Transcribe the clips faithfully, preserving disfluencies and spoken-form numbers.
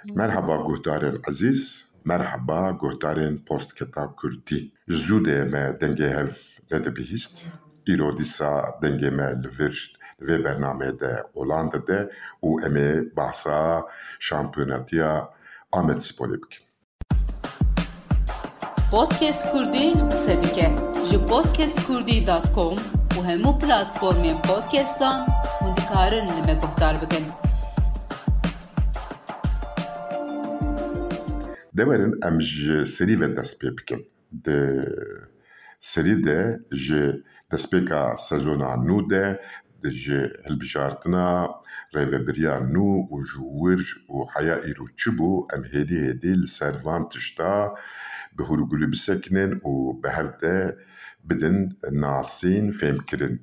Merhaba guhdarên ezîz, merhaba guhdarên Postketa Kurdî. Ji zû de me dengê hev nedibihîst. Îro dîsa dengê me li vir, li vê bernameyê de olan dide û em ê behsa şampiyonatiya Amedsporê bikin. Podcast Kurdî qise dike. Ji podcast kurdî dot com û hemû platformên podcastan hûn dikarin li me guhdar bikin. De werin em ji serî ve dest pê bikin. Di serî de ji destpêka sezona nû de ji hilbijartina rêvebiriya nû û ji wir û heya îro çi bû, em hêdî hêdî li ser van tişta bi hûrgulî bisekinin û bi hev de bidin nasîn, fêmkirin.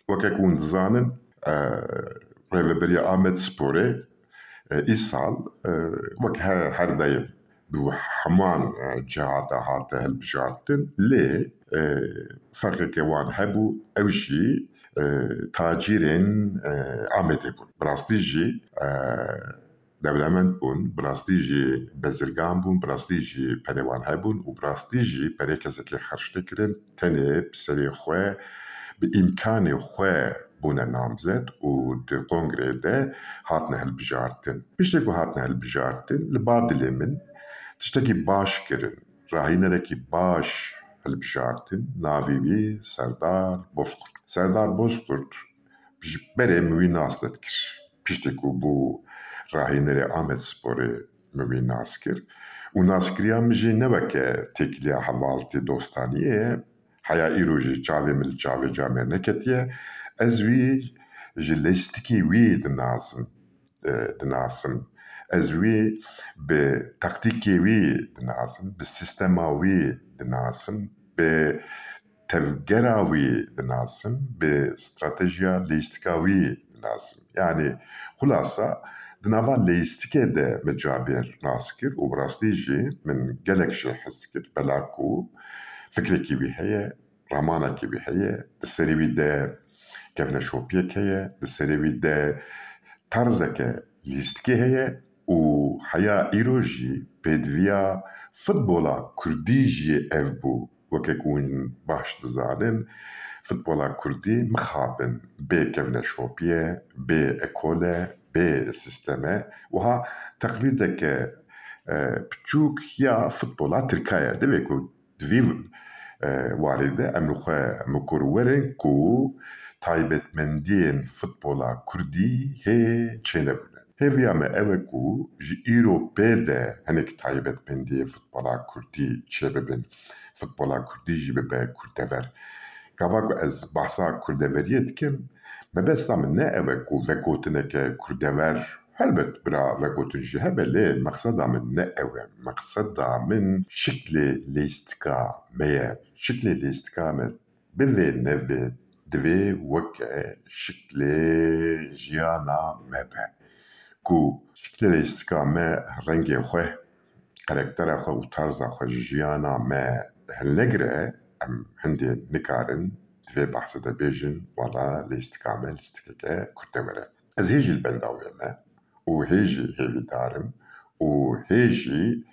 Weke ku hûn dizanin, e, rêveberiya Amedsporê, e, îsal, e, wek her, her daim bi heman, e, cihata hate hilbijartin, lê, e, ferqeke wan hebû, ew jî, e, tacîrên, e, Amedê bûn. Bi rastî jî, e, dewlemend bûn, bi rastî jî bezirgan bûn, bi rastî jî perê wan hebûn û bi rastî jî perê kesekê xerc nekirin, tenê bi serê xwe, bi îmkanê xwe bûne namzet û di kongreyê de hatine hilbijartin. Piştî ku hatine hilbijartin, li ba dilê min tiştekî baş kirin, rahînerekî baş hilbijartin, navê wî Serdar Bozkurt. Serdar Bozkurt ji berê min wî nas nedikir. Piştî ku bû rahînerê Amedsporê, min wî nas kir. Û naskiriya min jî ne weke têkiliya hevaltî dostaniyê ye. Heya îro jî çavê min li çavê camêr neketiye. Ez wî ji lêstikî wî dinasim, e, dinasim. Ez wî bi taktîkê wî dinasim, bi sîstema wî dinasim, bi tevgera wî dinasim, bi stratejiya lêstika wî dinasim. Yanî xulasa di nava lêstikê de min camêr nas kir û bi rastî jî min gelek jê hez kir, bela ku fikrekî wî heye, ramanekî wî heye, di serê wî de kevneşopiyek heye, di serê wî de tarzeke lîstikê heye û heya îro jî pêdiviya futbola kurdî jî ev bû. Weke ku hûn baş dizanin, futbola kurdî mixabin bê kevneşopiye, bê ekole, bê sîsteme, wiha teqlîdeke, e, piçûk ya futbola tirka ye. Divê ku Di vî, e, warê de em li xwe mikur werin ku taybetmendiyên futbola kurdî hê çênebûne. Hêviya me ew e ku ji îro pê de hinek taybetmendiyê futbola kurdî çêbibin. Futbola kurdî jî bibe kurdever. Gava ku ez behsa kurdeveriyê dikim, mebesta min ne ew e ku vegotineke kurdever Helbet bira vegotin jî hebe, lê mexseda min ne ew e. Mexseda min şiklê lêstika me ye. Şiklê lêstika me bivê nevê divê weke şiklê jiyana me be. Ku şiklê lêstika me rengê xwe, karaktera xwe û tarza xwe ji jiyana me hilnegire, em hindê nikarin di vê behsê de bêjin, wala lêstika me lîstikeke kurdewer e. Ez hê jî li benda wê me û hê jî hêvîdar im û hê jî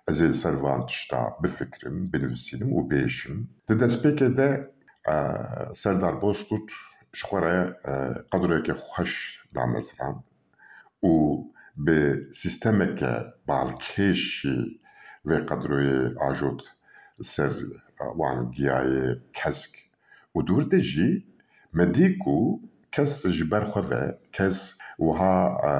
ez ê li ser van tişta bifikirim, binivîsînim û bêjim. Di destpêkê de, e, Serdar Bozkurt ji xwe re, e, qedroyeke xweş damezrand û bi sîstemeke balkêş jî vê qedroyê ajot li ser, e, wan giyayê kesk. Û di wir de jî me dî ku kes ji ber xwe ve, kes wiha, e,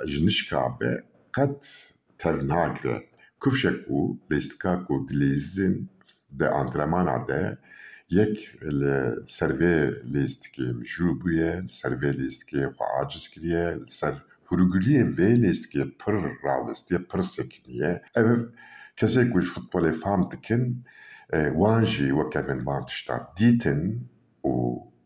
ji nişka ve qet tev nagire. Kifşek û lêstika ku dilîzin di antrenmana de yek li ser vê lêstikê mijûl bûye, li ser vê lêstikê xwe aciz kiriye, li ser hûrguliyê vê lêstikê pir rawestiye, pir sekiniye. Ev kesê ku ji futbolê fam dikin, e, wan jî weke min van tişta dîtin û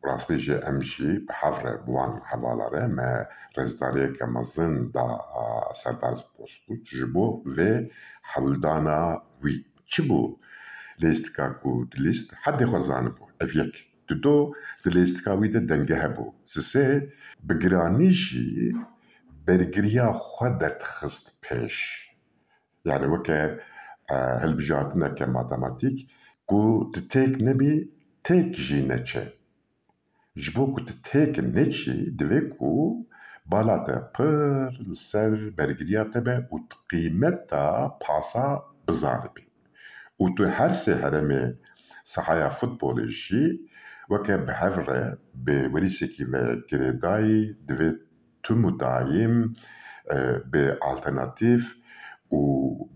rastî jî em jî bi hev re bi wan hevala re me rêzdariyeke mezin da, a, Serdar Bozkurt ji bo vê hewldana wî. Çi bû lêstika ku dilîst? Hedê xwe zanibû. Ev yek. Dido, di lêstika wî de denge hebû. Sisê, bi giranî jî, bergiriya xwe derdixist pêş. Yani weke, e, hilbijartineke matematîk ku tu têk nebî, têk jî neçe. Ji bo ku tu têk neçî, divê ku bala te pir li ser bergiriya te be û tu qîmeta pasa bizanibî. Û tu her sê heremê sahaya futbolê jî weke bi hev re, bi werîsekî ve girêdayî, divê tim û dayîm, e, bi alternatîf û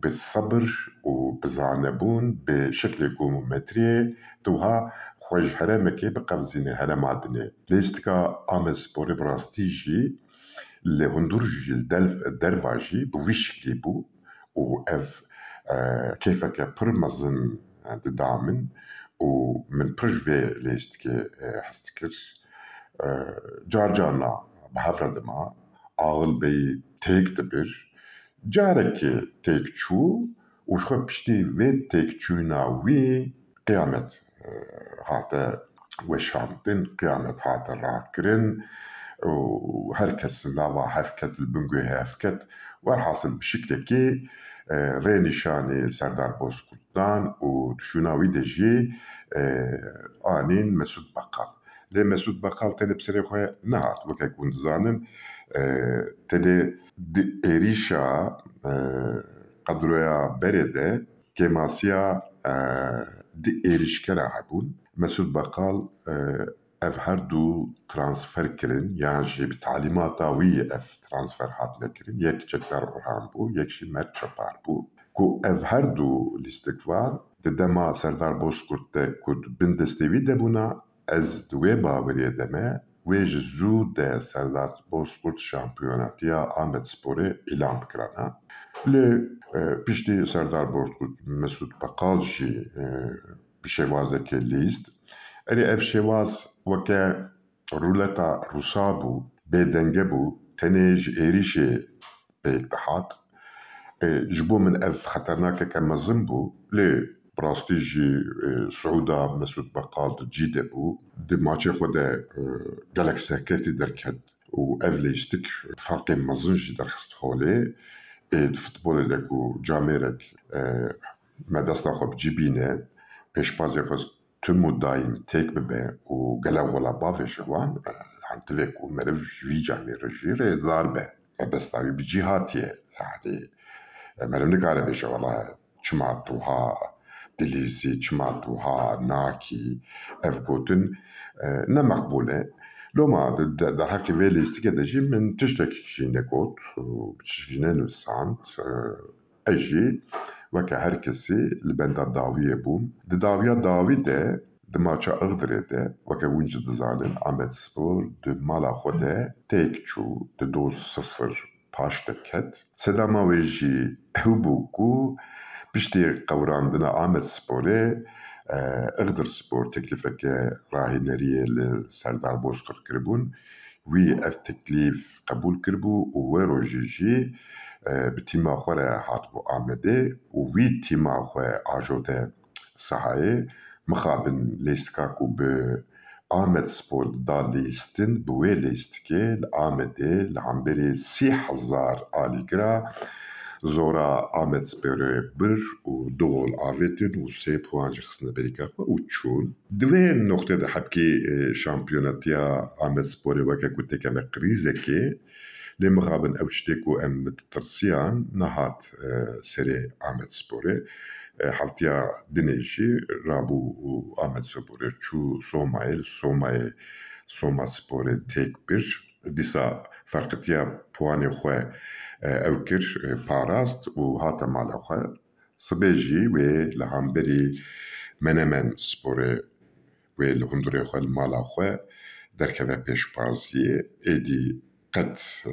bi sebir û bi zanebûn, bi şeklê geometriyê, tu wiha xwe ji heremekê biqevizînî herema dinê. Lêstika Amedsporê bi rastî jî li hundir jî, li delv-, derva jî bi wî şiklî bû û ev, e, kêfeke pir mezin, e, dida min û min pir ji vê lêstikê, e, hez dikir. E, car carna bi hev re dima, axil bêyî têk dibir. Carekê têk çû û ji xwe piştî vê têkçûna wî qiyamet, e, hate weşandin, qiyamet hate rakirin û her kes lava hev ket, li bin guhê hev ket. Werhasil bi şiklekî, e, rê nîşanî Serdar Bozkurt dan û di şûna wî de jî, e, anîn Mesûd Bekal. Lê Mesûd Bekal tenê bi serê xwe nehat. Weke ku hûn dizanin, e, tenê di êrîşa, e, qedroya berê de kêmasiya, e, di êrîşkera hebûn. Mesûd Bekal, e, ev her du transfer kirin, yan jî bi talîmata wî ev transfer hatine kirin. Yek Çekdar Orhan bû, yek jî Mert Çapar bû. Ku ev her du lîstikvan di dema Serdar Bozkurt de ku di bin destê wî de bûna, ez di wê baweriyê de me, wê ji zû de Serdar Bozkurt şampiyonatiya Amedsporê îlan bikirana. Lê, e, piştî Serdar Bozkurt Mesûd Bekal jî, e, bi şêwazekê lîst. Erê ev şêwaz weke rûleta Rûsa bû, bêdenge bû, tenê ji êrîşê pêk dihat. E, ji bo min ev xeternakeke mezin bû, lê bi rastî jî, e, siûda Mesûd Bekal di cî de bû. Di maçê xwe de, e, gelek serkeftî derket û ev lêstik ferqê mezin jî derxist holê. Ê, di futbolê de ku camêrek, e, mebesta xwe bi cî bîne, pêşbazê xwe tim û dayîm têk bibe û gelek wela bavêje wan, e, yani divê ku meriv ji vî camêrê jî rêzdar be. Mebesta wî bi cî hatiye. Yani, e, meriv nikare bêje wela çima tu ha dilîzî, çima tu ha nakî, ev gotin, e, ne meqbûl e. Loma di, di, derheqê vê lîstikê de jî min tiştek jî negot, û tiştek jî nenivîsand. E, ez jî weke her kesî li benda dawiyê bûm. Di dawiya dawî de, di maça Igdirê de, weke hûn jî dizanin, Amedspor di mala xwe de têk çû, di do sifir paş de ket. Sedama wê jî ew bû ku piştî qewirandina Amedsporê, e, Igdirspor teklîfeke rahîneriyê li Serdar Bozkurt kiribûn. Wî ev teklîf qebûl kiribû û wê rojê jî, e, bi tîma xwe re hatibû Amedê û wî tîma xwe ajote sahayê. Mixabin lêstika ku bi Amedspor da lîstin, bi wê lêstikê li Amedê li hemberî sî hezar alîgira zora Amedsporê bir û du gol avêtin û sê puan jî xistine berîka xwe û çûn. Di vê noqtê de hebkî, e, şampiyonetiya Amedsporê weke ku têkeve krîzekê, lê mixabin ew tiştê ku em ditirsiyan nehat, e, serê Amedsporê. E, heftiya dinê jî rabû û Amedsporê çû Somayê, li Somayê Somasporê têk bir. Dîsa ferqitiya puanê xwe, e, ew kir, e, parast û hate mala xwe. Sibê jî wê li hemberî Menemen Sporê wê li hundirê xwe li mala xwe derkeve pêşbaziyê. Êdî qet, e,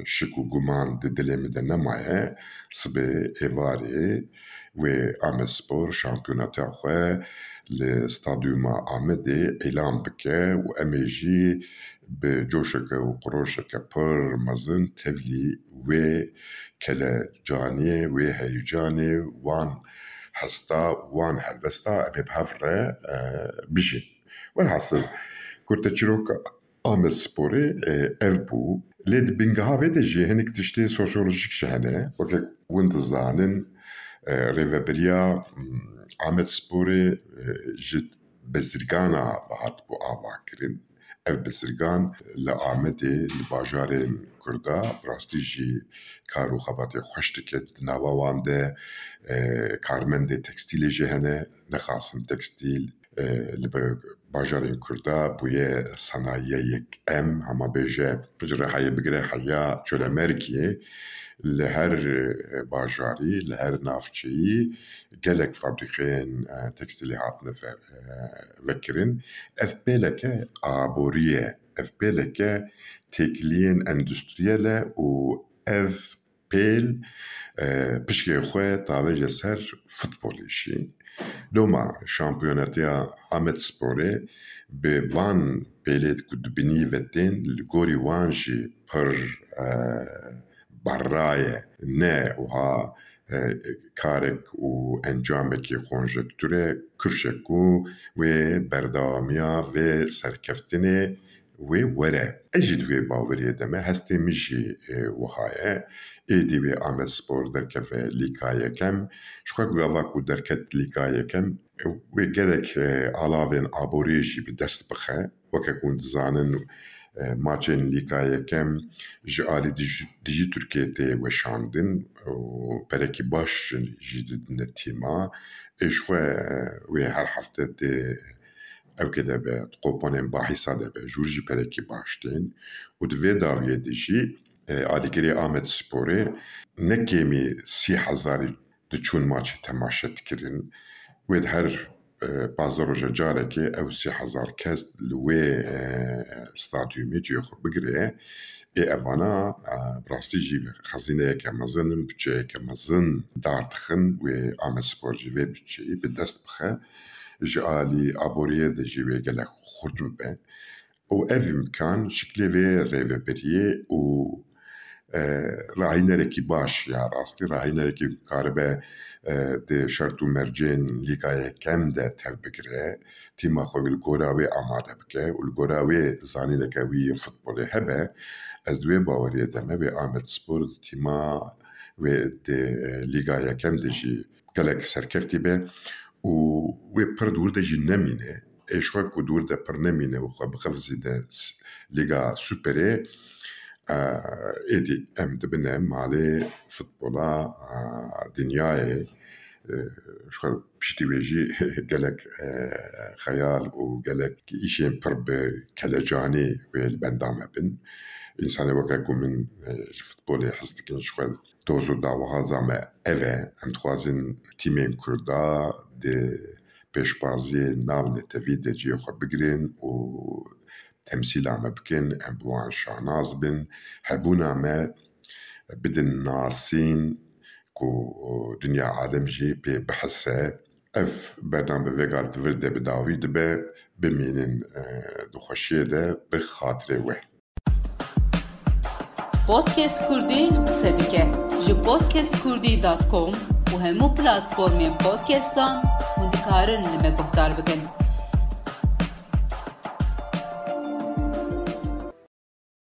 şik û guman di dilê min de nemaye. Sibê êvarê wê Amedspor şampiyonatiya xwe li stadyuma Amedê îlan bike û em ê jî bi coşeke û qiroşeke pir mezin tevlî wê kelecanê, wê heyecanê, wan hesta, wan helwesta em ê bi hev re, e, bijîn. Welhasil, kurteçîroka Amedsporê, e, ev bû. Lê di bingeha vê de jî hinek tiştê sosyolojîk jî hene. Weke hûn dizanin, e, rêvebiriya, mm, Amedsporê, e, ji bezirgana hatibû avakirin. Ev bezirgan li Amedê, li bajarên Kurda, bi rastî jî kar û xebatê xweş dike. Di nava wan de, e, karmendê tekstîlê jî hene, nexasim tekstîl, e, li be-, bajarên Kurda bûye sanayiya yekem, hema bêje, ji Rihayê bigire heya Colemêrgê, li her, e, bajarî, li her navçeyî gelek fabrîkeyên, e, tekstîlê hatine ve-, e, vekirin. Ev pêleke aborî ye, ev pêleke têkiliyên endustriyel e û ev pêl, e, pişkê xwe tavêje ser futbolê jî. Loma şampiyonetiya Amedsporê bi van pêlê ku di binî ve tên, li gorî wan jî pir, e, berra ye. Ne wiha, e, karek û encamekî konjektûr e, kifşek ku wê berdewamiya vê serkeftinê wê were. Ez jî di wê baweriyê de me, hestê min jî, e, wiha ye. Êdî wê Amedspor derkeve lîka yekem. Ji xwe gava ku derket lîka yekem, e, wê gelek, e, alavên aboriyê jî bi dest bixe. Weke ku hûn dizanin, e, maçên lîka yekem ji alî dijî, dijî Tirkiyê tê weşandin û perekî baş jî, jî didine tîma. Ê ji xwe, e, wê her hefte tê ewkê de be, di qoponên bahîsa de be, jûr jî perekî baş tên. Û di vê dawiyê de jî, e, alîgirê Amedsporê ne kêmî sî hezarî diçûn maçê temaşe dikirin. Wê di her, e, pazdeh roja carekê ew sî hezar kes li wê, e, stadyumê cihê xwe bigire. Ê evana, e, bi rastî jî xezîneyeke mezin in, budçeyeke mezin dar dixin, wê Amedspor jî vê budçeyî bi dest bixe. Ji alî aboriyê de jî wê gelek xurt bibe. Û ev îmkan şiklê vê rêvebiriyê û, e, rahînerekî baş ya rastî, rahînerekî karibe, e, di şert û mercên lîga yekem de tev bigire, tîma xwe li gora wê amade bike û li gora wê zanîneke wî yê futbolê hebe, ez di wê baweriyê de me wê Amedspor di tîma wê di, e, lîga yekem de jî gelek serkeftî be û wê pir di wir de jî nemîne. Ê ji xwe ku di wir de pir nemîne û xwe biqevizîne s-, Lîga Superê, e, êdî em dibine malê futbola, e, dinyayê. E, ji xwe piştî wê jî gelek, e, xeyal û gelek îşên pir bi kelecanî wê li benda me bin. Însanê weke ku min, e, ji futbolê hez dikin, ji xwe doz û dawihaza me ev e. Em dixwazin tîmên Kurda di pêşbaziyê navnetewî de cihê xwe bigirin û temsîla me bikin, em bi wan şanaz bin. Hebûna me bidin nasîn ku dinya alem jî pê bihise. Ev bername vêga di vir de bi dawî dibe. Bimînin, e, di xweşiyê de bi xatirê we. Podcast Kurdî qise dike. Ji podcast kurdî dot com û hemû platformên podcastan hûn dikarin li me guhdar bikin.